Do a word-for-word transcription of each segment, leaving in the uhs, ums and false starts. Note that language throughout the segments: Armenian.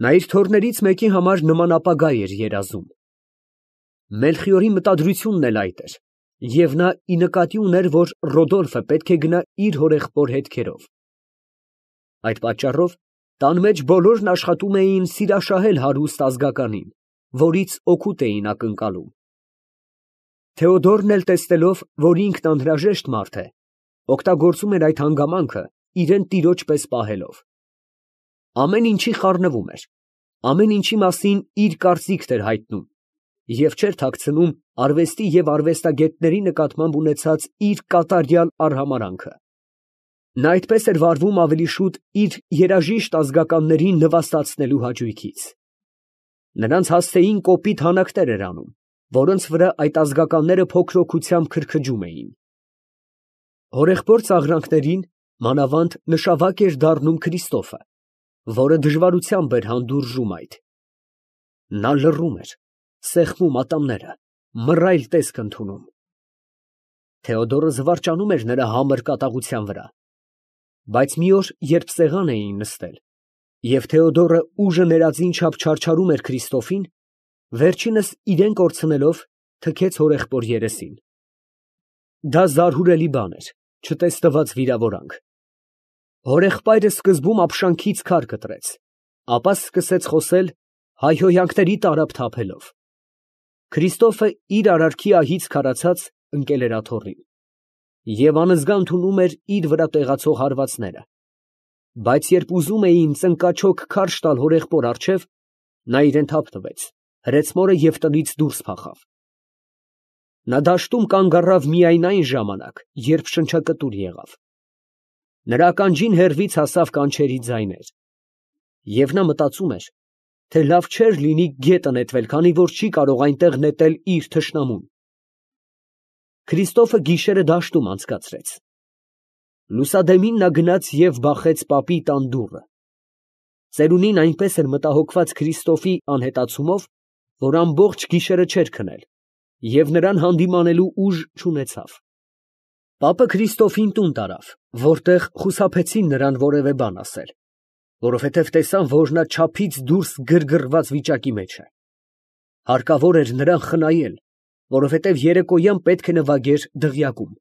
Նա իր թոռներից մեկի համար նման ապագա էր երազում։ Մելխիորի մտադրությունն էլ այդ էր, և նա ի նկատի ուներ, որ Ռոդոլֆը պետք է գնա իր հորեղբոր հետքերով։ Այդ պատճառով տան մեջ բոլորն աշխատում էին սիրաշահել հարուստ ազգականին, որից օգուտ էին ակնկալում։ Թեոդորն էլ տեսնելով, որ ինքն անհրաժեշտ մարդ է, օգտագործում էր այդ հանգամանքը, իրան տիրոջ պես պահելով։ Ամեն ինչի խառնվում էր, ամեն ինչի մասին իր կարծիքն էր հայտնում և չէր թաքցնում արվեստի և արվեստագետների նկատմամբ ունեցած իր կատարյալ արհամարհանքը։ Նա այդպես էր վարվում ավելի շուտ իր երաժիշտ ազգականներին նվաստացնելու հաճույքից։ Նրանց հասցեին կոպիտ հանակներ էր անում, որոնց վրա այդ ազգականները փոքրօգությամբ քրքջում էին։ Հորեղբոր ծաղրանքներին մանավանդ նշավակ էր դառնում Քրիստոֆը, որը դժվարությամբ էր հանդուրժում այդ։ Նա լռում էր, սեղմում ատամները, մռայլ տեսք ընդունում։ Թեոդորը զվարճանում էր նրա համր կատաղության վրա։ Բայց մի օր, երբ սեղան էին նստել, և Թեոդորը ուժը ներածին չափ չարչարում էր Քրիստոֆին, վերջինս իրան կորցնելով, թքեց հորեղբոր երեսին։ Դա զարհուրելի բան էր, չտեսնված վիրավորանք։ Հորեղբայրը սկզբում ապշանքից քար կտրեց, ապա սկսեց խոսել հայհոյանքների տարափ թափելով։ Քրիստոֆը իր արարքի ահից քարացած ընկել էր աթոռին և անզգա ընդունում էր իր վրա տեղացող հարվածները, բայց երբ ուզում էին ծնկաչոք քարշ տալ հորեղբոր առջև, նա իրան թափ տվեց, հրեցմորը և տնից դուրս փախավ։ Նա դաշտում կանգ առավ միայն այն ժամանակ, երբ շնչակտուր եղավ։ Նրա ականջին հեռվից հասավ կանչերի ձայներ, և նա մտածում էր, թե լավ չէր լինի գետը նետվել, քանի որ չի կարող այնտեղ նետել իր թշնամուն։ Քրիստոֆը գիշերը դաշտում անցկացրեց։ Լուսադեմին նա գնաց և բախեց պապի տան դուռը։ Ծերունին այնպես էր մտահոգված Քրիստոֆի անհետացումով, որ ամբողջ գիշերը չէր քնել և նրան հանդիմանելու ուժ չունեցավ։ Պապը Քրիստոֆին տուն տարավ, որտեղ խուսափեցին նրան որևէ բան ասել, որովհետև տեսան, որ նա չափից դուրս գրգռված վիճակի մեջ է։ Հարկավոր էր նրան խնայել, որովհետև երեկոյան պետք է նվագեր դղյակում։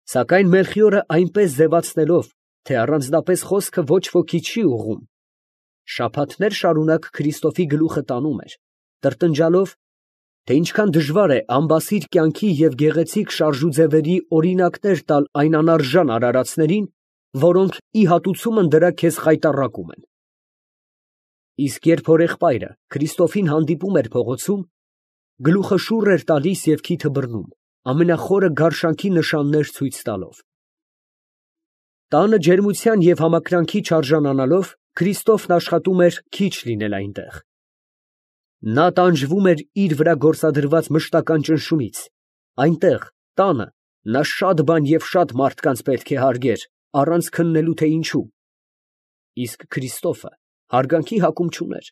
Սակայն Մելխիորը այնպես ձևացնելով, թե առանձնապես խոսքը ոչ ոքի չի ուղղում, շաբաթներ շարունակ Քրիստոֆի գլուխը տանում էր, տրտնջալով, թե ինչքան դժվար է անբասիր կյանքի և գեղեցիկ շարժուձևերի օրինակներ տալ այն անարժան արարածներին, որոնք ի հատուցումն դրա քեզ խայտառակում են։ Իսկ երբ հորեղբայրը Քրիստոֆին հանդիպում էր փողոցում, գլուխը շուռ էր տալիս և քիթը բռնում, ամենախորը գարշանքի նշաններ ցույց տալով։ Տանը ջերմության և համակրանքի չարժանանալով, Քրիստոֆն աշխատում էր քիչ լինել այնտեղ։ Նա տանջվում էր իր վրա գործադրված մշտական ճնշումից։ Այնտեղ, տանը, նա շատ բան և շատ մարդկանց պետք է հարգեր, առանց քննելու, թե ինչու։ Իսկ Քրիստոֆը հարգանքի հակում չուներ։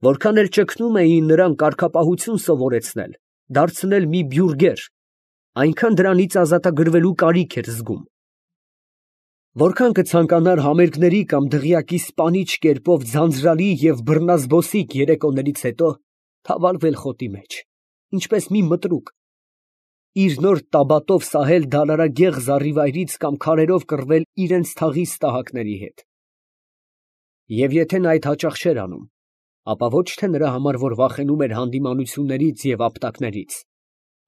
Որքան էլ ճգնում էին նրան կարգապահություն սովորեցնել, դարձնել մի բյուրգեր, այնքան դրանից ազատագրվելու կարիք էր զգում։ Որքան կցանկանար համերգների կամ դղյակի սպանիչ կերպով ձանձրալի և բռնազբոսիկ երեկոներից հետո թավալվել խոտի մեջ, ինչպես մի մտրուկ, իր նոր տաբատով սահել դալարագեղ զառիվայրից կամ քարերով կռվել իրենց թաղի ստահակների հետ։ Եվ եթե նա այդ հաճախ չէր անում, ապա ոչ թե նրա համար, որ վախենում էր հանդիմանություններից և ապտակներից,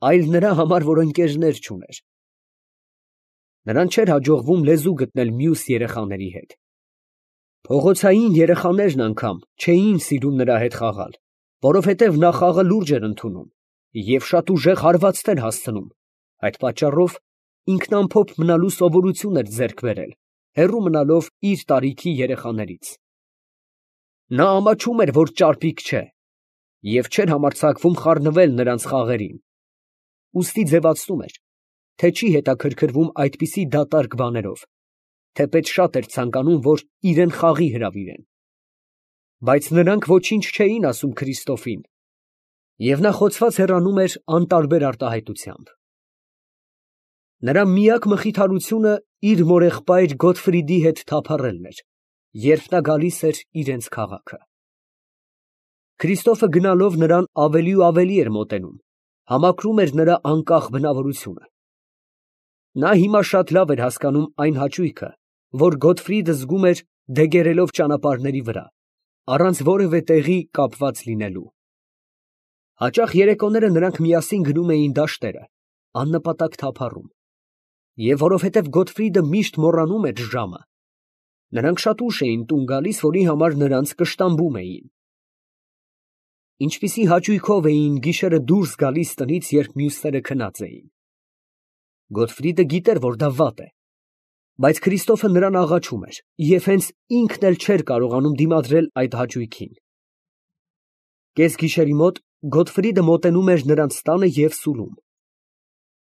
այլ նրա համար, որ ընկերներ չուներ։ Նրան չէր հաջողվում լեզու գտնել մյուս երեխաների հետ։ Փողոցային երեխաներն անգամ չէին սիրում նրա հետ խաղալ, որովհետև նա խաղը լուրջ էր ընդունում և շատ ուժեղ հարվածներ հասցնում, այդ պատճառով ինքն ամփոփ մնալու սովորություն էր ձեռք բերել, հեռու մնալով իր տարիքի երեխաներից։ Նա ամաչում էր, որ ճարպիկ չէ, և չէր համարձակվում խառնվել նրանց խաղերին, ուստի ձևացնում էր, թե չի հետաքրքրվում այդպիսի դատարկ բաներով, թեպետ շատ էր ցանկանում, որ իրան խաղի հրավիրեն։ Բայց նրանք ոչինչ չէին ասում Քրիստոֆին, և նա խոցված հեռանում էր անտարբեր արտահայտությամբ։ Նրա միակ մխիթարությունը իր մորեղբայր Գոտֆրիդի հետ թափառելն էր, երբ նա գալիս էր իրենց քաղաքը։ Քրիստոֆը գնալով նրան ավելի ու ավելի էր մոտենում, համակրում էր նրա անկախ բնավորությունը։ Նա հիմա շատ լավ էր հասկանում այն հաճույքը, որ Գոթֆրիդը զգում էր դեգերելով ճանապարհների վրա, առանց որևէ տեղի կապված լինելու։ Հաճախ երեկոները նրանք միասին գնում էին դաշտերը, աննպատակ թափառում, և որովհետև Գոթֆրիդը միշտ մոռանում էր ժամը, նրանք շատ ուշ էին տուն գալիս, որի համար նրանց կշտամբում էին։ Ինչպիսի հաճույքով էին գիշերը դուրս գալիս տնից, երբ մյուսները քնած էին։ Գոթֆրիդը գիտեր, որ դա վատ է, բայց Քրիստոֆը նրան աղաչում էր, և հենց ինքն էլ չէր կարողանում դիմադրել այդ հաճույքին։ Կեսգիշերի մոտ Գոթֆրիդը մոտենում էր նրանց տանը և սուլում։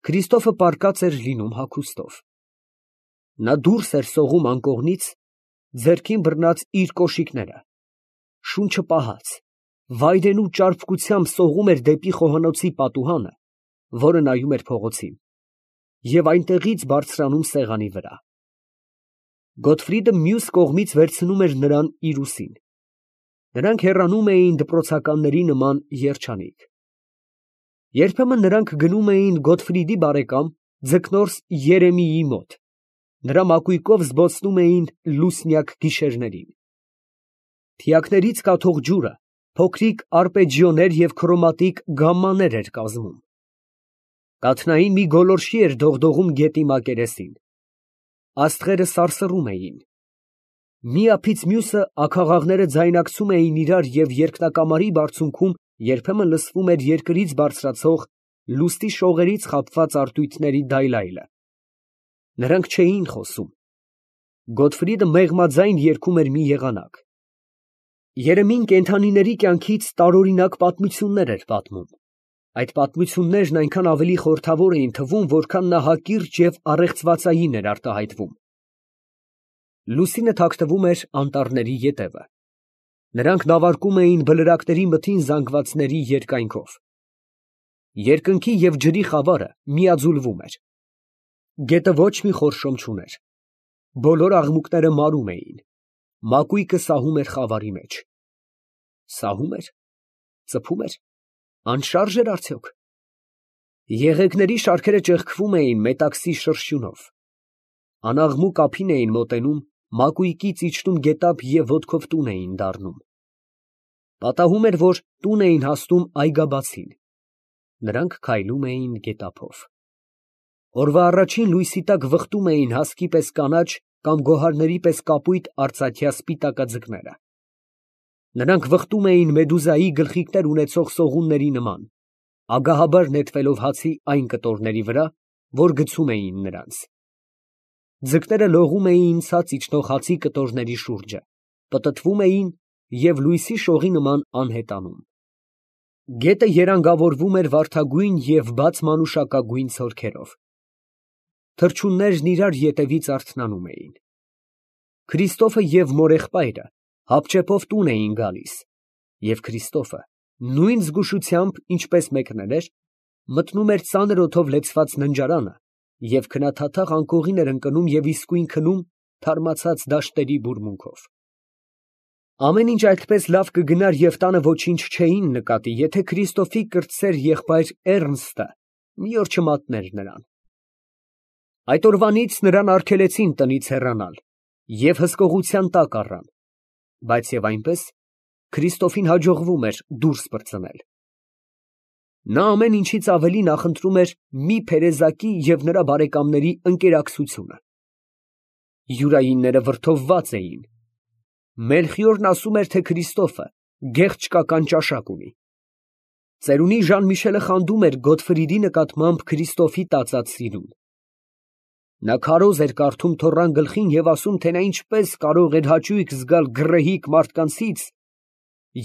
Քրիստոֆը պառկած էր լինում հագուստով։ Նա դուրս էր սողում անկողնից, ձեռքին բռնած իր կոշիկները, շունչը պահած, վայրենու ճարպկությամբ սողում էր դեպի խոհանոցի պատուհանը, որը նայում էր փողոցին, և այնտեղից բարձրանում սեղանի վրա։ Գոթֆրիդը մյուս կողմից վերցնում էր նրան իր ուսին։ Նրանք հեռանում էին դպրոցականների նման երջանիկ։ Երբեմն նրանք գնում էին Գոթֆրիդի բարեկամ ձկնորս Երեմիի մոտ, նրա մակույկով զբոսնում էին լուսնյակ գիշերներին։ Թիակներից կաթող ջուրը փոքրիկ արգպեջիոներ և քրոմատիկ գամմաներ էր կազմում։ Կաթնային մի գոլորշի էր դողդողում գետի մակերեսին։ Աստղերը սարսռում էին։ Մի ափից մյուսը աքաղաղները ձայնակցում էին իրար, և երկնակամարի բարձունքում երբեմն լսվում էր երկրից բարձրացող լուսնի շողերից խաբված արտույտների դայլայլը։ Նրանք չէին խոսում։ Գոթֆրիդը մեղմաձայն երգում էր մի եղանակ։ Երեմին կենդանիների կյանքից տարօրինակ պատմություններ էր պատմում։ Այդ պատմություններն այնքան ավելի խորհրդավոր էին թվում, որքան նա հակիրճ և առեղծվածային էր արտահայտվում։ Լուսինը թաքնվում էր անտառների ետևը։ Նրանք նավարկում էին բլրակների մթին զանգվածների երկայնքով։ Երկնքի և ջրի խավարը միաձուլվում էր։ Գետը ոչ մի խորշոմ չուներ։ Բոլոր աղմուկները մարում էին։ Մակույկը սահում էր խավարի մեջ։ Սահում էր, ծփում էր, անշարժ էր արդյոք։ Եղեգների շարքերը ճեղքվում էին մետաքսի շրշյունով։ Անաղմուկ ափին էին մոտենում, մակույկից իջնում գետափ և ոտքով տուն էին դառնում։ Պատահում էր, որ տուն էին հասնում այգաբացին։ Նրանք քայլում էին գետափով։ Օրվա առաջին լույսի տակ վխտում էին հասկի պես կանաչ կամ գոհարների պես կապույտ արծաթյա սպիտակաձկները։ Նրանք վխտում էին մեդուզայի գլխիկներ ունեցող սողունների նման, ագահաբար նետվելով հացի այն կտորների վրա, որ գցում էին նրանց։ Ձկները լողում էին ցած իջնող հացի կտորների շուրջը, պտտվում էին և լույսի շողի նման անհետանում։ Գետը երանգավորվում էր վարդագույն և բաց մանուշակագույն ցորքերով։ Թռչուններն իրար ետևից արթնանում էին։ Քրիստոֆը և մորեղբայրը հապճեպով տուն էին գալիս, և Քրիստոֆը նույն զգուշությամբ, ինչպես մեկնել էր, մտնում էր ծանր օդով լեցված ննջարանը և քնաթաթախ անկողին էր ընկնում և իսկույն քնում թարմացած դաշտերի բուրմունքով։ Ամեն ինչ այդպես լավ կգնար և տանը ոչինչ չէին նկատի, եթե Քրիստոֆի կրտսեր եղբայր Էռնստը մի օր չմատներ նրան։ Այդ օրվանից նրան արգելեցին տնից հեռանալ և հսկողության տակ առան, բայց և այնպես Քրիստոֆին հաջողվում էր դուրս պրծնել։ Նա ամեն ինչից ավելի նախընտրում էր մի փերեզակի և նրա բարեկամների ընկերակցությունը։ Յուրայինները վրդովված էին։ Մելխիորն ասում էր, թե Քրիստոֆը գեղչկական ճաշակ ունի։ Ծերունի Ժան֊Միշելը խանդում էր Գոթֆրիդի նկատմամբ Քրիստոֆի տածած սիրուն։ Նա քարոզ էր կարդում թոռան գլխին և ասում, թե նա ինչպես կարող էր հաճույք զգալ գռեհիկ մարդկանցից,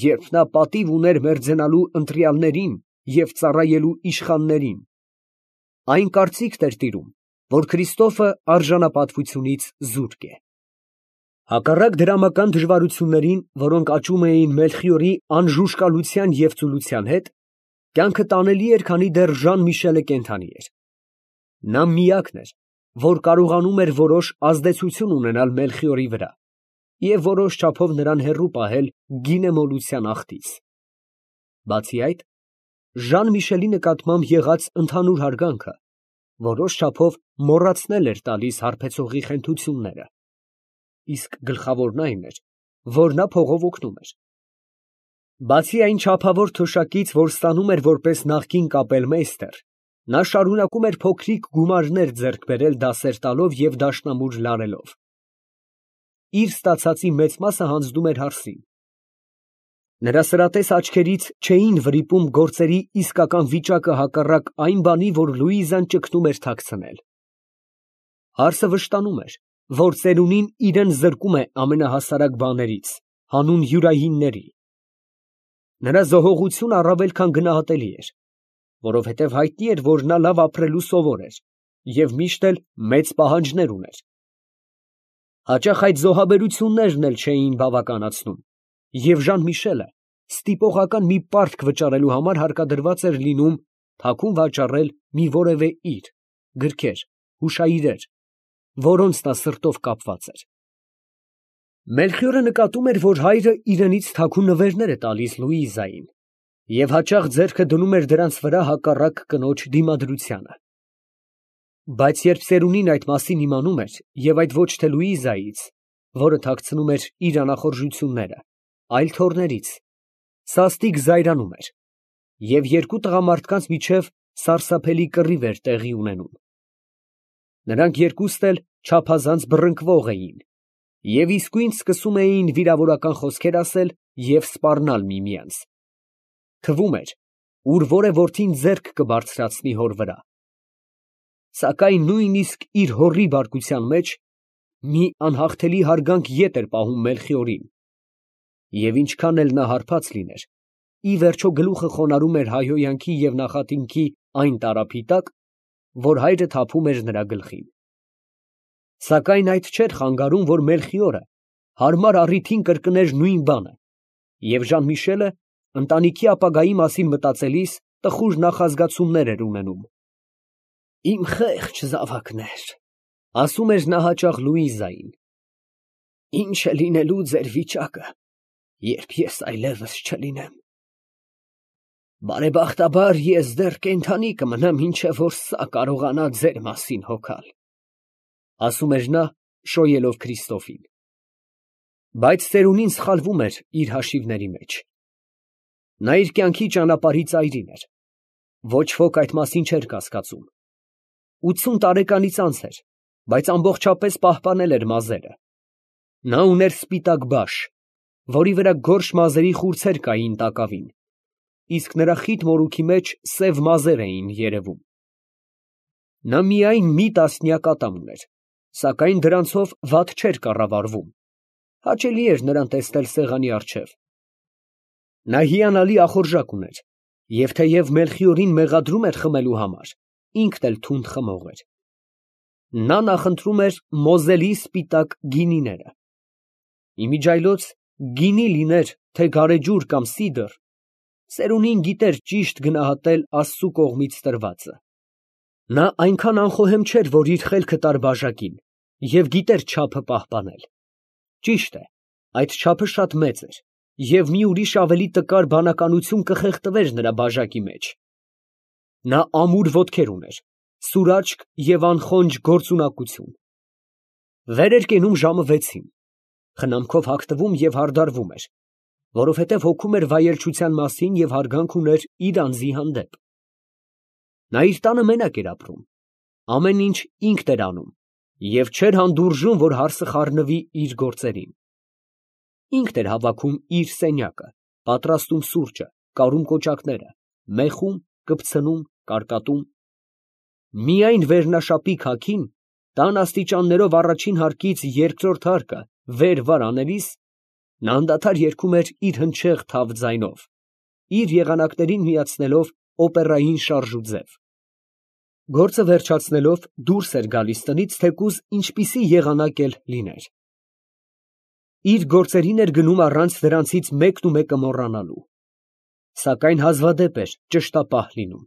երբ նա պատիվ ուներ մերձենալու ընտրյալներին և ծառայելու իշխաններին։ Այն կարծիքն էր տիրում, որ Քրիստոֆը արժանապատվությունից զուրկ է։ Հակառակ դրամական դժվարություններին, որոնք աճում էին Մելխիորի անժուժկալության և ծուլության հետ, կյանքը տանելի էր, քանի դեռ Ժան֊Միշելը կենդանի էր։ Նա միակն էր, որ կարողանում էր որոշ ազդեցություն ունենալ Մելխիորի վրա, և որոշ չափով նրան հեռու պահել գինեմոլության աղտից։ Բացի այդ, Ժան Միշելի նկատմամբ եղած ընդհանուր հարգանքը որոշ չափով մոռացնել էր տալիս հարբեցողի խենթությունները, իսկ գլխավորն այն էր, որ նա փողով օգնում էր։ Բացի այն չափավոր թոշակից, որ ստանում էր որպես նախկին կապելմեյստեր, նա շարունակում էր փոքրիկ գումարներ ձեռք բերել դասեր տալով և դաշնամուր լարելով։ Իր ստացածի մեծ մասը հանձնում էր հարսին։ Նրա սրատես աչքերից չէին վրիպում գործերի իսկական վիճակը հակառակ այն բանի, որ Լուիզան ճգնում էր թաքցնել։ Հարսը վշտանում էր, որ ծերունին իրան զրկում է ամենահասարակ բաներից, հանուն յուրայինների։ Նրա զոհողությունը առավել քան գնահատելի էր, որովհետև հայտնի էր, որ նա լավ ապրելու սովոր էր և միշտ էլ մեծ պահանջներ ուներ։ Հաճախ այդ զոհաբերություններն էլ չէին բավականացնում, և Ժան֊Միշելը ստիպողական մի պարտք վճարելու համար հարկադրված էր լինում թաքուն վաճառել մի որևէ իր, գրքեր, հուշաիրեր, որոնց նա սրտով կապված էր։ Մելխիորը նկատում էր, որ հայրը իրենից թաքուն նվերներ է տալիս Լուիզային և հաճախ ձեռքը դնում էր դրանց վրա հակառակ կնոջ դիմադրությանը։ Բայց երբ ծերունին այդ մասին իմանում էր, և այդ ոչ թե Լուիզայից, որը թաքցնում էր իր անախորժությունները, այլ թոռներից, սաստիկ զայրանում էր, և երկու տղամարդկանց միջև սարսափելի կռիվ էր տեղի ունենում։ Նրանք երկուստ էլ չափազանց բռնկվող էին և իսկույն սկսում էին վիրավորական խոսքեր ասել և սպառնալ միմյանց։ Թվում էր, ուր որ է որդին ձեռք կբարձրացնի հոր վրա։ Սակայն նույնիսկ իր հորի բարկության մեջ մի անհաղթելի հարգանք ետ էր պահում Մելխիորին, և ինչքան էլ նա հարբած լիներ, ի վերջո գլուխը խոնարհում էր հայհոյանքի և նախատինքի այն տարափի տակ, որ հայրը թափում էր նրա գլխին։ Սակայն այդ չէր խանգարում, որ Մելխիորը հարմար առիթին կրկներ նույն բանը, և Ժան֊Միշելը ընտանիքի ապագայի մասին մտածելիս տխուր նախազգացումներ էր ունենում։ «Իմ խեղճ զավակներ», ֊ ասում էր նա հաճախ Լուիզային, ֊ ի՞նչ է լինելու ձեր վիճակը, երբ ես այլևս չլինեմ։ Բարեբախտաբար ես դեռ կենդանի կմնամ, մինչև որ սա կարողանա ձեր մասին հոգալ, ֊ ասում էր նա, շոյելով Քրիստոֆին։ Բայց ծերունին սխալվում էր իր հաշիվների մեջ։ Նա իր կյանքի ճանապարհի ծայրին էր, ոչ ոք այդ մասին չէր կասկածում։ Ութսուն տարեկանից անց էր, բայց ամբողջապես պահպանել էր մազերը։ Նա ուներ սպիտակ բաշ, որի վրա գորշ մազերի խուրձեր կային տակավին, իսկ նրա խիտ մորուքի մեջ սև մազեր էին երևում։ Նա միայն մի տասնյակ ատամ ուներ, սակայն դրանցով վատ չէր կառավարվում, հաճելի էր նրան տեսնել սեղանի առջև։ Նա հիանալի ախորժակ ուներ, և թեև Մելխիորին մեղադրում էր խմելու համար, ինքն էլ թունդ խմող էր։ Նա նախընտրում էր Մոզելի սպիտակ գինիները։ Իմիջիայլոց գինի լիներ, թե գարեջուր կամ սիդր, ծերունին գիտեր ճիշտ գնահատել Աստծու կողմից տրվածը։ Նա այնքան անխոհեմ չէր, որ իր խելքը տար բաժակին, և գիտեր չափը պահպանել։ Ճիշտ է, այդ չափը շատ մեծ էր, և մի ուրիշ ավելի տկար բանականություն կխեղդվեր նրա բաժակի մեջ։ Նա ամուր ոտքեր ուներ, սուր աչք և անխոնջ գործունակություն։ Վեր էր կենում ժամը վեցին, խնամքով հագնվում և հարդարվում էր, որովհետև հոգում էր վայելչության մասին և հարգանք ուներ իր անձի հանդեպ։ Նա իր տանը մենակ էր ապրում, ամեն ինչ ինքն էր անում և չէր հանդուրժում, որ հարսը խառնվի իր գործերին։ Ինքն էր հավաքում իր սենյակը, պատրաստում սուրճը, կարում կոճակները, մեխում, կպցնում, կարկատում։ Միայն վերնաշապի քաքին, տան աստիճաններով առաջին հարկից երկրորդ հարկը վեր֊վար անելիս, նա անդադար երգում էր իր հնչեղ թավ ձայնով, իր եղանակներին միացնելով օպերային շարժուձև։ Գործը վերջացնելով դուրս էր գալիս տնից, թեկուզ ինչպիսի եղանակ էլ լիներ։ Իր գործերին էր գնում առանց դրանցից մեկն ու մեկը մոռանալու։ Սակայն հազվադեպ էր ճշտապահ լինում։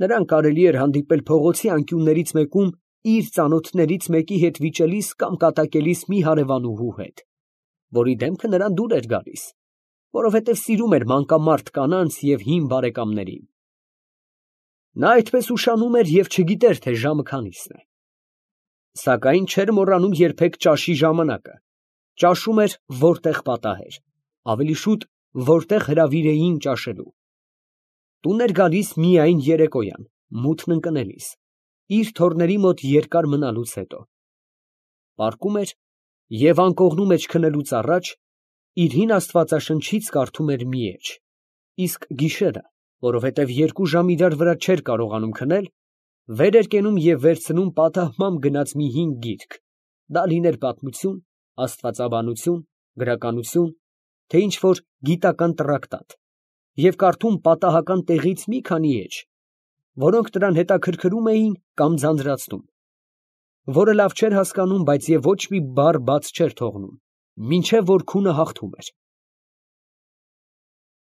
Նրան կարելի էր հանդիպել փողոցի անկյուններից մեկում իր ծանոթներից մեկի հետ վիճելիս կամ կատակելիս մի հարևանուհու հետ։ որի դեմքը նրան դուր էր գալիս, որովհետև սիրում էր մանկամարտ կանանց և հին բարեկամներին։ Նա այդպես ուշանում էր և չգիտեր, թե ժամը քանիսն է. սակայն չէր մոռանում երբեք ճաշի ժամանակը, ճաշում էր, որտեղ պատահեր, ավելի շուտ, որտեղ հրավիրեին ճաշելու։ Տուն էր գալիս միայն երեկոյան, մութն ընկնելիս, իր թոռների մոտ երկար մնալուց հետո։ Պառկում էր և անկողնու մեջ քնելուց առաջ իր հին աստվածաշնչից կարդում էր մի էջ, իսկ գիշերը, որովհետև երկու ժամ իրար վրա չէր կարողանում քնել, վեր էր կենում և վերցնում պատահմամբ գնած մի հին գիրք, դա լիներ պատմություն, աստվածաբանություն, գրականություն, թե ինչ֊որ գիտական տրակտատ, և կարդում պատահական տեղից մի քանի էջ, որոնք նրան հետաքրքրում էին կամ ձանձրացնում, որը լավ չէր հասկանում, բայց և ոչ մի բառ բաց չէր թողնում, մինչև որ քունը հաղթում էր։